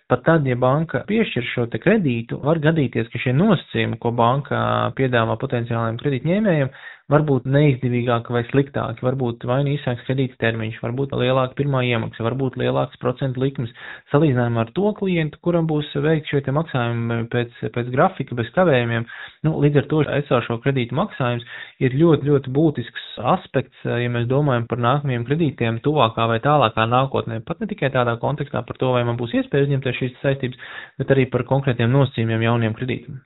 Pat tad, ja banka piešķir šo te kredītu, var gadīties, ka šie nosacījumi, ko banka piedāvā potenciālajiem kredītņēmējiem, varbūt neizdevīgāki vai sliktāki, varbūt vai nu īsāks kredīta termiņš, varbūt lielāka pirmā iemaksa, varbūt lielāks procentu likmes, salīdzinājumā ar to klientu, kuram būs veikt šie te maksājumi pēc grafika, bez kavējumiem. Līdz ar to esošo kredītu maksājums ir ļoti, ļoti būtisks aspekts, ja mēs domājam par nākamajiem kredītiem tuvākā vai tālākā nākotnē. Pat ne tikai tādā kontekstā par to, vai man būs iespēja uzņemties šīs saistības, bet arī par konkrētiem nosacījumiem jauniem kredītiem.